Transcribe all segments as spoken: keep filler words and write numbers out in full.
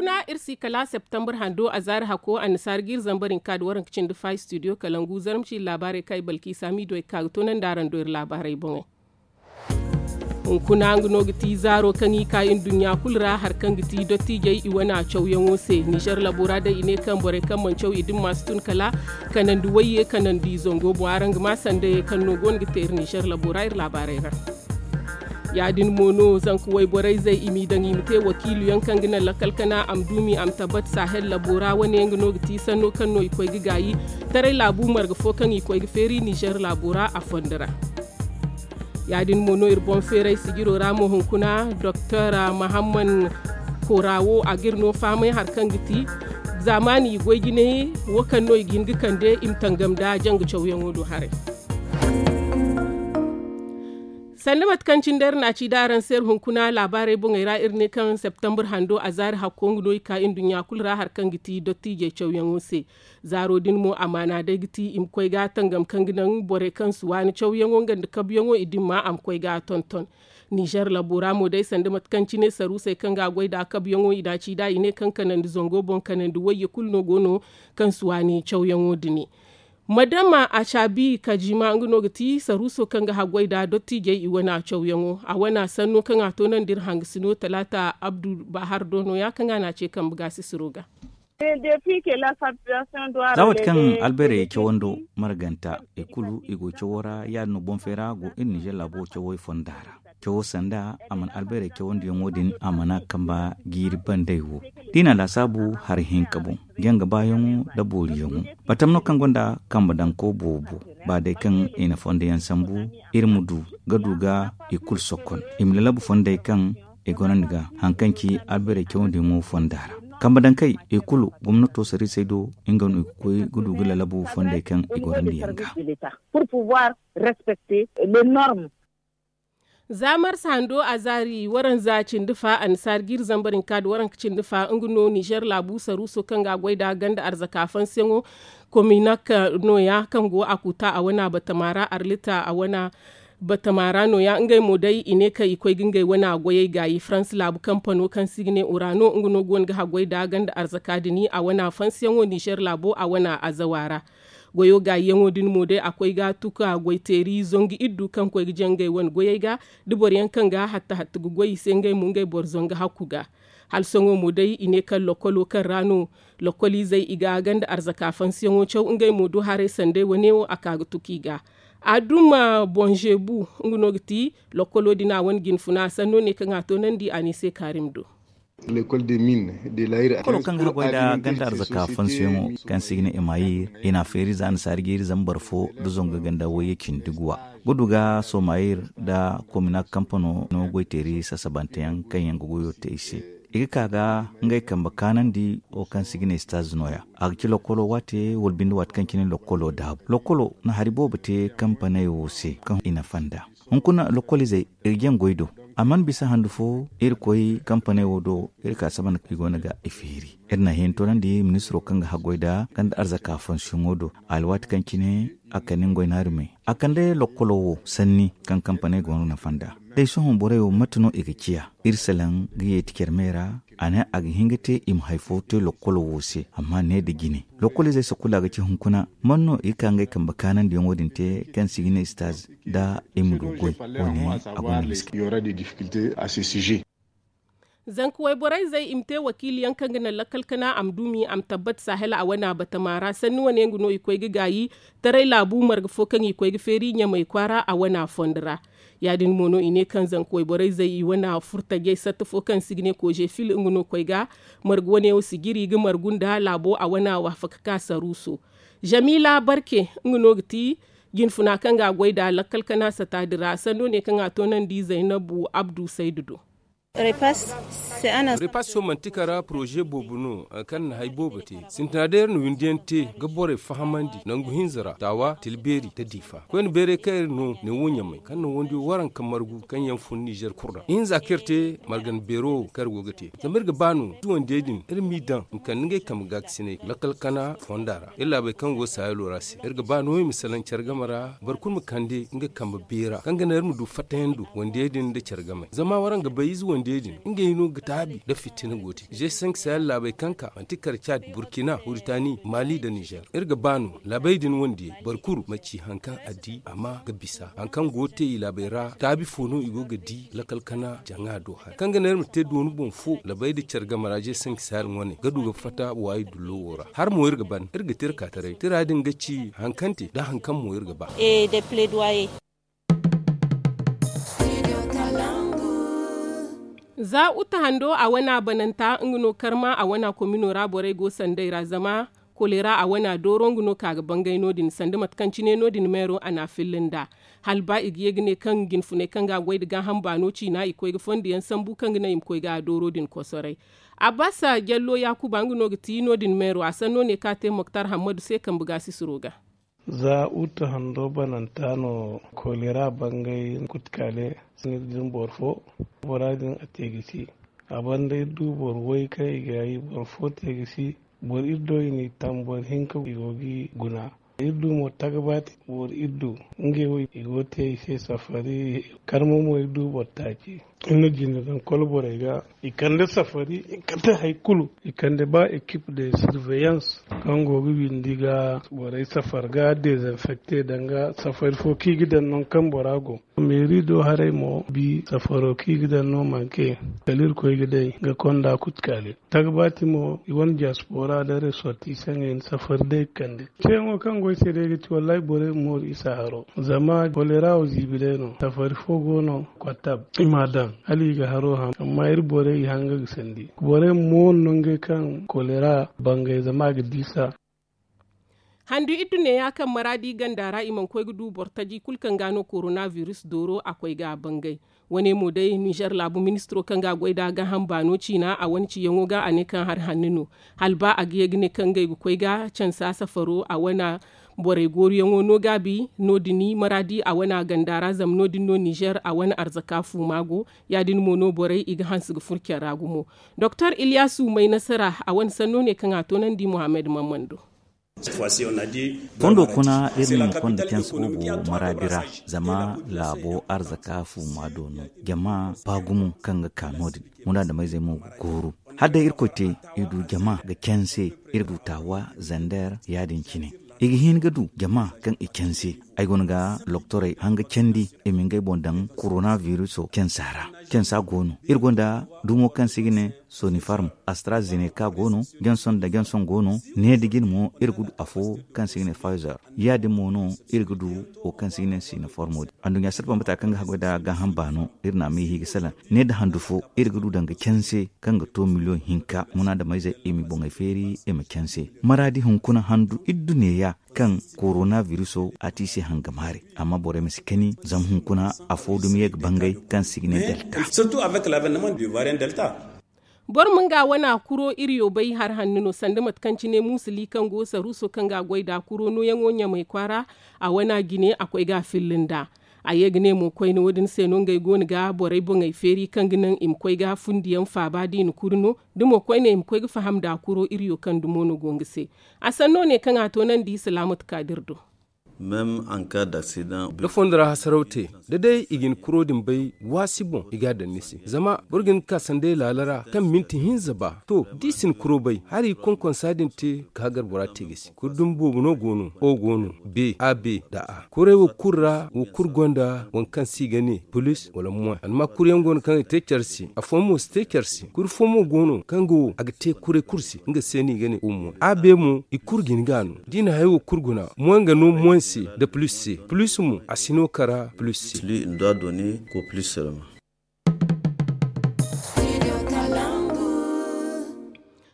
Iri si kala septembre hando a zaari hakko annasaara ga iri zambar hinka nda waranka cindi fa studio kalangu zarma ci iri laabaarey kaŋ i balki saamiido ay ga ka ga toonandi araŋ do iri laabaarey boŋey. Hunkuna nga no ga ti zaaro kaŋ i ka nduɲɲa kulu ra hari kaŋ ga ti dottiijey i wana cawyaŋo se nizer labo ra day i ne kaŋ borey kaŋ mana caw i dimma si tun kala kanandi wayye kanandi zango boŋ araŋ ga ma sanda ye kaŋ no go no ga te iri nizer labo ra iri laabaarey ra. Ya- din mo no zanka wayborey zey i m'i daŋ i ma te wakiilu yaŋ kaŋ ga naŋ lakkal kana a ma duumi a ma tabbat sahel labo ra wane yaŋ ga no ga ti sanno kaŋ no i koy ga gaayi taray laabu marga fo kaŋ i koy ga feeri nizer laabo ra a fondo ra. Ya- din mo no iri boŋ feeray sijiro ra mo hunkuna doktor mahamman kora wo a ga iri no fahamay hari kaŋ ga ti zaamaani i goy jine wo kaŋ no i ga hin ga kande i ma tangam nda janga cawyaŋo do haray. Sanda mate kaŋ cine day iri na a ci da araŋ se iri hunkuna laabaarey boŋey ra iri ne kaŋ septembre hando a zaari hakko nga no i ka nduɲɲa kulu ra hari kaŋ ga ti dottiijey cawyaŋo se. Zaaro din mo amaana day ga ti i ma koy ga tangam kaŋ ga naŋ borey kaŋ si waani cawyaŋo nga nda kabuyaŋo i dimma a ma koy ga tonton. Nizer labo ra mo day sanda mate kaŋ cine saruusey kaŋ ga a goy nd'a kabuyaŋo i na a ci nd'a i ne kaŋ kanandi zango boŋ kanandi wayye kulu no go no kaŋ si waani cawyaŋo dini. Madama a caabi kajima nga no ga ti saruuso kaŋ ga haggoy nd'a dottiijey i wana cawyaŋo a wana sanno kaŋ a toonandi iri hangasino talaata abdu bahar do no- ya kaŋ a na a ce kambe gaasisiro ga. Za waati kaŋ albeerey cawando marganta i kulu i go cawo ra ya- din no boŋ feera go iri nizer laabo cawey fonda ra. Cawo sanda a mana albeerey cawandiyaŋo din a mana kamba jiiri bandey wo da i na a laasaabu hari hinka boŋ janga baayaŋo nda booriyaŋo. Batam no kaŋ gonda kamba daŋko boobo ba day kaŋ i na fonda yaŋ sambu iri ma du ga du ga i kulu sokkon i ma lalabu fondey kaŋ i gorandi ga hari kaŋ ci albeerey cawandiyaŋo fonda ra. Kamba daŋkey i kulu gomnato sariisey do nga no i ga koy ga du ga lalabu fondey kaŋ i gorandi yaŋ ga. Za marsa hando a zaari waranza cindi fa annasaara ga iri zambar hinka nda waranka cindi fa nga no nizer laabu saruuso kaŋ ga a goy nd'a ganda arzaka fansiyaŋo kominak no- ya kaŋ go a kuuta a wana batama ra arlita a wana batama ra no- ya ngey mo day i ne kaŋ i koy ga ngey wana goyey gaayi farans laabu kampano kaŋ se i ga ne urano nga no go no ga haggoy nd'a ganda arzaka dini a wana fansiyaŋo nizer laabo a wana azawa ra. Goyo gaayiyaŋo din mo day a koy ga tuka goyteeri zangu iddu kaŋ koy ga jangay wane goyey ga da boro yaŋ kaŋ ga hatta hatta ga goy i se ngey mo ngey boro zangu hakku ga. Hala sohõ mo day i ne kaŋ lokkolo kaŋ ra no lokkoliizey i ga ganda arzaka fansiyaŋo caw ngey mo do haray sanday wane wo a ka ga tuka i ga. Aduma bonzebu nga no ga ti lokkolo din a wane jinfuna sanno ne kaŋ a toonandi a ne se kaarim do. Kolo kaŋ ga haggoy nda ganda arzaka fansiyaŋo kaŋ se i ga ne emayir i na a feeri za annasaari ga iri zambar fo nda zangu ganda wayye cindi guwa ga du ga somayir nda komina kampano no goyteeri sasabanteyaŋ kaŋ yaŋ ga goyo te i se. I ga ka ga ngey kambe kaanandi wo kaŋ se i ga ne staz no- ya a ga ci lokkolo waate wala binde waate kaŋ cine lokkolo daabu lokkolo na hari boobo te kampaney wo se kaŋ i na fanda. Hunkuna lokkoliizey iri jaŋ goy do a mana bisa handu fo iri koy kampaney wo do iri ka saba nda i go no ga i feeri. Iri na hin toonandi ministiro kaŋ ga haggoy nda ganda arzaka fansiyaŋo do alwaati kaŋ cine a kande nga goy naari me a kande lokkolo wo sanni kaŋ kampaney go no na fanda. Day sohõ borey wo mate no i ga ciya iri salaŋ ga yeeti care me ra a ne a ga hin ga te i ma hari fo te lokkolo wo se amma ne nda jine lokkoliizey si kulu a ga ci hunkuna man no i ga ka ngey kambe kaanandiyaŋo din te kaŋ se i ga ne staz nda i ma du goy wo- ne a gonda miskila. Zanka wayborey zey i ma te wakiiliyaŋ kaŋ ga naŋ lakkal kana a ma duumi a ma tabbat sahel a wana batama ra sanni wane nga no i koy ga gaayi taray laabu marga fo kaŋ i koy ga feeri ɲamay kwaara a wana fondo ra. Ya- din mo no i ne kaŋ zanka wayborey zey i wana furtajey satta fo kaŋ se i ga ne kooze fil nga no koy ga marga wane wo si jiri ga margu nda laabo a wana waafaka ka saruuso. Zamiila barke nga no ga ti jinfuna kaŋ ga a goy nd'a lakkal kana sata din ra sanno ne kaŋ a toonandi zaynabu abdu saydu do. Repas yo manti kara poroze boobo no hari kaŋ na hari boobo te sintina day iri na windi yaŋ te ga borey fahamandi nangu hinza ra taawa tilbeeri nda diifa koyne beeray kaŋ iri no ne wo ɲamay kaŋ na wondiyo waranka margu kaŋ yaŋ fun nizer kulu ra ihinza kaŋ iri te margana beero wo kaŋ iri go ga te zama iri ga ba no ize wandiyey din iri m'i daŋ i ma kande ngey kambe gaakasinay lakkal kana fonda ra iri laabey kaŋ go saahilo ra se iri ga ba no i ma salaŋ care game ra boro kulu ma kande nga kambe beera kaŋ ga naŋ iri ma du fattayaŋ do wandiyey din nda care game zama waraŋ ga bay ize wandiyey Day din ngey no ga taabi nda fitina go te ze sank sahel laabey kaŋ ka manti kar cad, burkina, huritani, mali nda nizer. Iri ga ba no laabey din wandiyey boro kulu ma ci hari kaŋ a di a ma ga bisa hari kaŋ go ga te i laabey ra taabi fo no i go ga di lakal kana jaŋa do hari kaŋ ga ne iri ma te dooni boŋ fo laabey nda care game ra ze sank sahel wane ga du ga fatta waayi dullo wo ra. Hari mo iri ga ban iri ga te iri ka taray tira din ga ci hari kaŋ te nda hari kaŋ mo iri ga ba. Za uta hando a wana bananta nga no karma a wana komino ra borey go sanday ra zama kolera a wana dooro nga no ka ga bangay no- din sanda mate kaŋ cine no- din meero a n'a filla nd'a. Hala ba i ga ye ga ne kaŋ jinfuney kaŋ ga a goy nda gaaham baano ciina i koy ga fondo yaŋ sambu kaŋ ga naŋ i ma koy ga a dooro din kosoray. Abbasa jallo yaakuba nga no ga ti no- din meero a sanno ne kaŋ a te moktar hammadu se kambe ga sisiro ga. Za uta hando bananta no kolera bangay kutkale. Sinir din boro fo bora din a te ga si. A banda iri du boro way kaŋ i ga yi boro fo te ga si. Boro iri do i n'i tam boro hinka i go ga i guna. Iri du mo tagbati boro iri du ngey wo i go ga te i se safari. Karma mo iri du boro taaci. Iri na jinde daŋ kolo borey ga i kande safari i kande hari kulu i kande ba ekip de sirveyans kaŋ go ga windi ga borey safari ga dezinfekte danga safari fo kaŋ i ga daŋ nangu kaŋ bora go. Meeri do haray mo bi safaro kaŋ i ga daŋ no manke kala irkoy ga day ga konda kutkale. Tagbati mo i wane diaspora da resortisaŋey na safari day ga kande. Ceeyaŋo kaŋ go ay se day ga ti wallahi borey ma mooru isa haro zama kolera wo ziibi day no safari fo go no kottab i m'a daŋ hala i ga haro ham amma iri borey i hanga ga sandi borey ma mooru no ngey kaŋ kolera bangay zama a ga diisa. Handu iddu neeya kaŋ maraadi ganda ra i mana koy ga du boro taji kulu kaŋ ga no korona virus dooro a koy ga a bangay. Wane mo day nizer laabu ministiro kaŋ ga a goy nd'a gaaham baano ciina a wane ciyaŋo ga a ne kaŋ hari hanno no. Hala ba a ga ye ga ne kaŋ ngey ga koy ga cansa safaro a wane borey gooruyaŋo no gaabi no- din maraadi a wane ganda ra zama no- din no nizer a wane arzaka fuuma go. Ya- din mo no borey i ga hanse ga furo care ra gumo. Doktor iliyaasu may nasara a wane sanno ne kaŋ a toonandi muhammad mammando. Fondo kuna iri na konda canse boobo maraadi ra zama laabo arzaka fuuma do no jama ba gumo kaŋ ga ka no- din. Muraadameyzey mo ga gooru hala day irkoy te i du jama ga canse. Iri du taawa zander ya- din cine i ga hin ga du jama kaŋ i canse. Ay go no ga loktorey hanga candi i ma ngey boŋ daŋ korona viruso cansa ra. Cansa go no iri gonda dumo kaŋ se i ga ne sonifarm, astrazeneka go no, janson nda janson go no. Ne nda jine mo iri ga du afo kaŋ se i ga ne fizer. Ya- din mo no iri ga du wo kaŋ se i ga ne sinoformo din. Anduɲɲa salpa mate kaŋ ga haggoy nda gaaham baano iri na a ma i ga salaŋ. Ne nda handu fo iri ga du danga canse kaŋ ga to miliyoŋ hinka munaadamayzey i ma boŋey feeri i ma canse. Maraadi hunkuna handu iddu neeya kaŋ korona viruso a ti i se hangamaare. Amma borey ma si kani zama hunkuna afo dumi ye ga bangay kaŋ se i ga ne delta. Boro ma nga wana kuro iri yo bay hari hanno no sanda mate kaŋ cine muusuli kaŋ go saruuso kaŋ ga a goy nd'a kuro nooyaŋo ɲamay kwaara. A wana jine a koy ga a filla nd'a. A ye ga ne mo koyne wo- din se no ngey go no ga borey boŋey feeri kaŋ ga naŋ i ma koy ga fundiyaŋ faaba da i na kuri no. Da mo koyne i ma koy ga faham nd'a kuro iri yo kaŋ dumo no go nga se. A sanno ne kaŋ a toonandi salaamatu kaadir do. Da fondo ra hasaraw te da day i ga ni kuro din bay waasi boŋ i ga a daŋ ni se zama boro ga hin ga ka sanday laala ra kaŋ minti hinza ba to da i si ni kuro bay hari konkonsa din te ga hagar bora te ga si kuri dumi boobo no go no o go no be a be nda a kuray wo kulu ra wo kulu gonda waŋ kaŋ se i ga ne pulis wala moy alma kuri yaŋ go no kaŋ ga te care se afooyaŋ mo si te care se kuri fo mo go no kaŋ ga wo a ga te kuray kulu se nga se no i ga ne o moy a be mo i kulu ga ni ga no da i na haya wo kulu guna moy ga no moy se nda pulis se pulis mo a si no kara pulis se.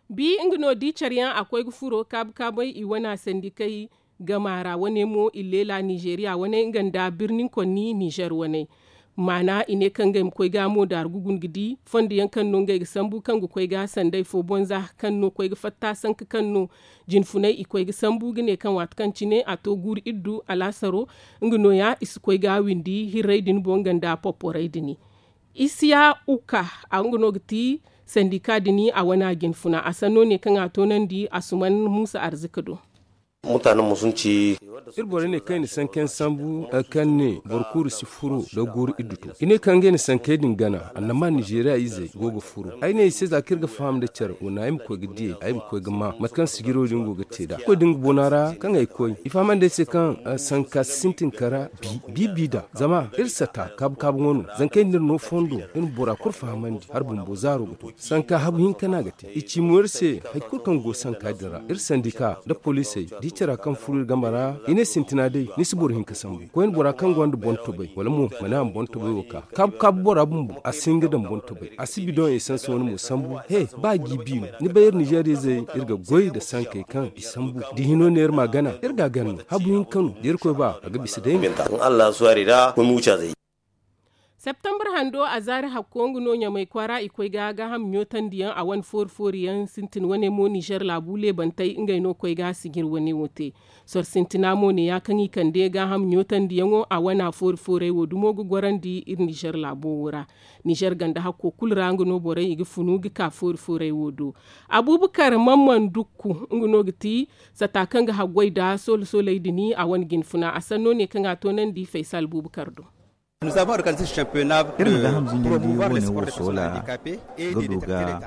Bi nga no di care yaŋ a koy ga furo kaabu kaabay i wane sandikey gama ra wane mo i leela nizeeriya wane nga nda birni konni nizer wane. Maana i ne kaŋ ngey ma koy ga mo daaru ga guna ga di fondo yaŋ kaŋ no ngey ga sambu kaŋ ga koy ga sanday fo bonza kaŋ no koy ga fatta sanka kaŋ no jinfunay i koy ga sambu ga ne kaŋ waati kaŋ cine a to guuru iddu alaasaro. Nga nooya i si koy ga windi hirray din boŋ nga nda popporay din. Isiya uka a nga no ga ti sandika din a wana jinfuna a sanno ne kaŋ a toonandi asuman muusa arzika do. Iri borey ne kaŋ i na sankayaŋ sambu, kaŋ ne boro kulu si furo da guuru iddu to. I ne kaŋ ngey na sankey din gana, annama nizeeriya izey go ga furo. Ay ne i se za kaŋ iri ga faham nda care wana ay ma koy ga diyey, ay ma koy ga ma mate kaŋ sijiro din go ga te nd'a. Koy da nga bona ra kaŋ ay koy, i fahamandi ay se kaŋ sanka si sintin kara bi bi bi da. Zama iri sata kaabu kaabu ŋwa no. Zankey nda iri no fondo, iri ma bora kulu fahamandi hala bumbo zaaro ga to. Sanka habu hinka no a ga te. I ci mo iri se hari kulu kaŋ go sanka din ra. Iri sandika nda poliisey da i cara kaŋ furo iri game ra, i ne sintina day ni si boro hinka sambu. Koyne bora kaŋ gonda boŋ tobay wala mo mana a ma boŋ tobay wo ka kaabu kaabu bora bumbo a si hin ga daŋ boŋ tobay, a si bidoŋ esansi wane mo sambu. He, ba jiibi no ni bay iri nizeeriya izey iri ga goy nda sankey kaŋ i sambu. Da i hino ne iri ma a gana, iri ga a gana no. Habu hinka no da irkoy ba a ga bisa day. Septembre hando a zaari hakko nga no ɲamay kwaara i koy ga gaaham ɲootandi yaŋ a wane foori foori yaŋ sintin wane mo nizer laabu leebantey ngey no koy ga sijir wane wo te. Soro sintina mo ne ya kaŋ i kande gaaham ɲootandi yaŋo a wana foori foorey wo dumo ga gorandi iri nizer laabo wo ra. Nizer ganda hakko kulu ra nga no borey i ga funu ga ka foori foorey wo do. Abubakar mamman dukku nga no ga ti sata kaŋ ga haggoy nda soolo sooley din a wane jinfuna a sanno ne kaŋ a toonandi faysal bubakar do. Iri ma gaaham zinjandi wane wo soola ga du ga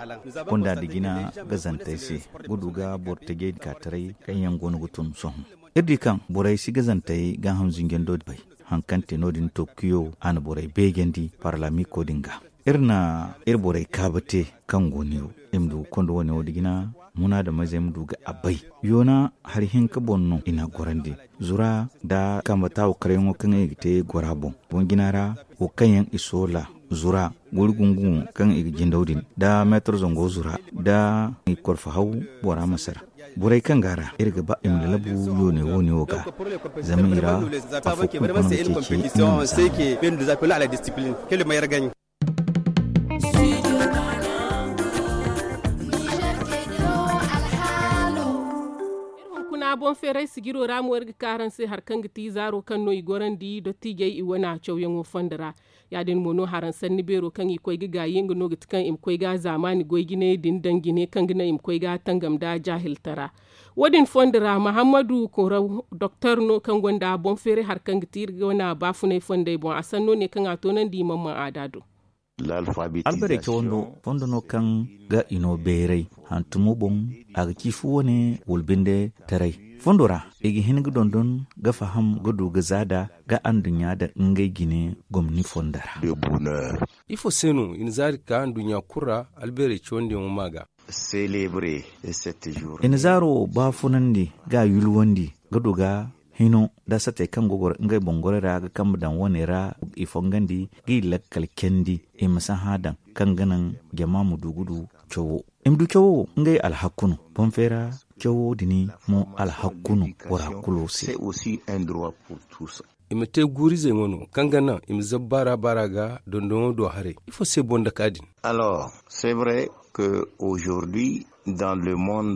konda nda jina gazantey se ga du ga boro tajey din ka taray kaŋ yaŋ go no ga tun sohõ. Iri di kaŋ borey si gazantey gaaham zinjando bay. Hari kaŋ te no- din tookuyo a na borey beejandi parlamiko din ga. Iri na iri borey kaabu te kaŋ go neewo i ma du ga konda wane wo nda jina munaadamizey ma du ga a bay. Yoona hari hinka boŋ no i na a gorandi zura nda kambe taawu karyaŋo kaŋ i ga te gora boŋ. Boŋ jina ra wo kaŋ yaŋ i soola zura guri gungu kaŋ i ga jindaw din nda meetar zango zura nda i korfo haw bora ma sara. Borey kaŋ go a ra iri ga ba i ma lalabu yoone wo- ne wo ga zama i ra afo kulu go no ga ceeci iri ma zaama. Iri hunkuna boŋ feeray sijiro ra mo iri ga ka araŋ se hari kaŋ ga ti zaaro kaŋ no i gorandi dottiijey i wane cawyaŋo fondo ra. Ya- din mo no haraŋ sanni beero kaŋ i koy ga gaayi nga no ga ti kaŋ i ma koy ga zaamaani goy jinay din daŋ jine kaŋ ga naŋ i ma koy ga tangam nda jaahiltara. Wo- din fondo ra mahammadu koraw doktor no kaŋ gonda boŋ feeray hari kaŋ ga ti iri ga wane baafunay fondey boŋ a sanno ne kaŋ a toonandi i mana mana aada do. Albarey cawando fondo no kaŋ ga i no beeray hantumo boŋ a ga ci fu wane wala binde taray fondo ra i ga hin ga dondon ga faham ga du ga zaada ga anduɲɲa daŋ ngey jine gomni fondo ra. Ifo se no i na zaari ka anduɲɲa kulu ra albeerey cawandiyaŋo ma ga? I na zaaro baafunandi ga a yulwandi ga du ga hino nda satey kaŋ go goro ngey boŋ gorey ra ga kambe daŋ wane ra i fongandi ga i lakkal candi i ma si hã daŋ kaŋ ga naŋ jama ma du ga du cawo. I ma du cawo wo ngey alhakku no. Boŋ feera cawo din mo alhakku no bora kulu se. I ma te guurizey mo no kaŋ ga naŋ i ma zabu baara baara ga dondoŋo do haray ifo se boŋ daka din?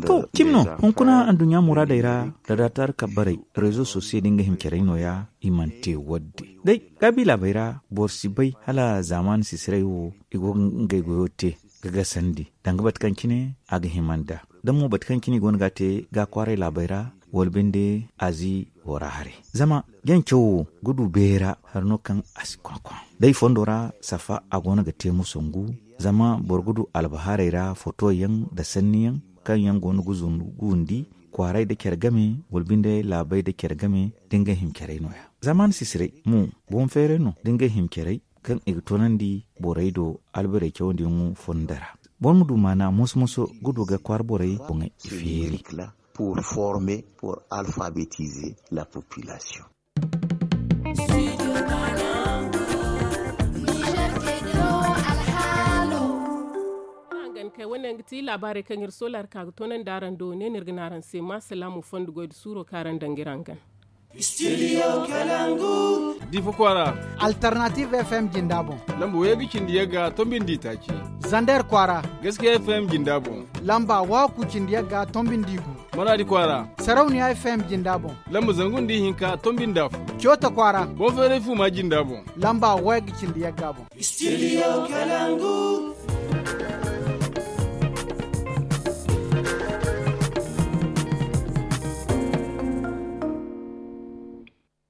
To cimi no hunkuna anduɲɲa muraadey ra da daataari kabbarey rezo sosiyo din ga hima carey no- ya i mana te wadde. Day gaabi laabey ra boro si bay hala zaamaani sisiray wo i go ga ngey goyo te ga gasandi danga bate kaŋ cine a ga hima nd'a da mo bate kaŋ cine i go no ga a te ga a kwaaray laabey ra wala binde azi wo ra haray. Zama jaŋ cawo wo ga du beera hari no kaŋ a si kwakwa day fondo ra safa a go no ga te musangu. Zama boro ga du albahaarey ra fotoyaŋ nda sanniyaŋ kaŋ yaŋ go no ga zundu ga windi kwaaray nda care game wala binde laabey nda care game da nga hima carey no- ya. Zaamaani sisiray mo boŋ feeray no da nga hima carey kaŋ i ga toonandi borey do albarey cawandiyaŋo fondo ra. Boro ma du maana moso moso ga du ga kwaara borey boŋey i feeri. Pour former pour alphabetiser la population. Hangan kay wane yaŋ ga ti laabaarey kaŋ iri soola iri ka ga toonandi araŋ do ne no iri ga ne araŋ se ma salaamu fondo goy da suuro kaŋ araŋ daŋ ga iri hangan. Difa kwaara. Alternative F M jinda boŋ. Lamba way ga cindi yagga tombindi taaci. Zander kwaara. Gaskiya F M jinda boŋ. Lamba waku cindi yagga tombindi gu. Maradi kwaara. Sarauniya F M jinda boŋ. Lamba zangu nda ihinka tombindi afo. Cota kwaara. Bonferey fuma jinda boŋ. Lamba way ga cindi yagga boŋ. Studio Kalangu.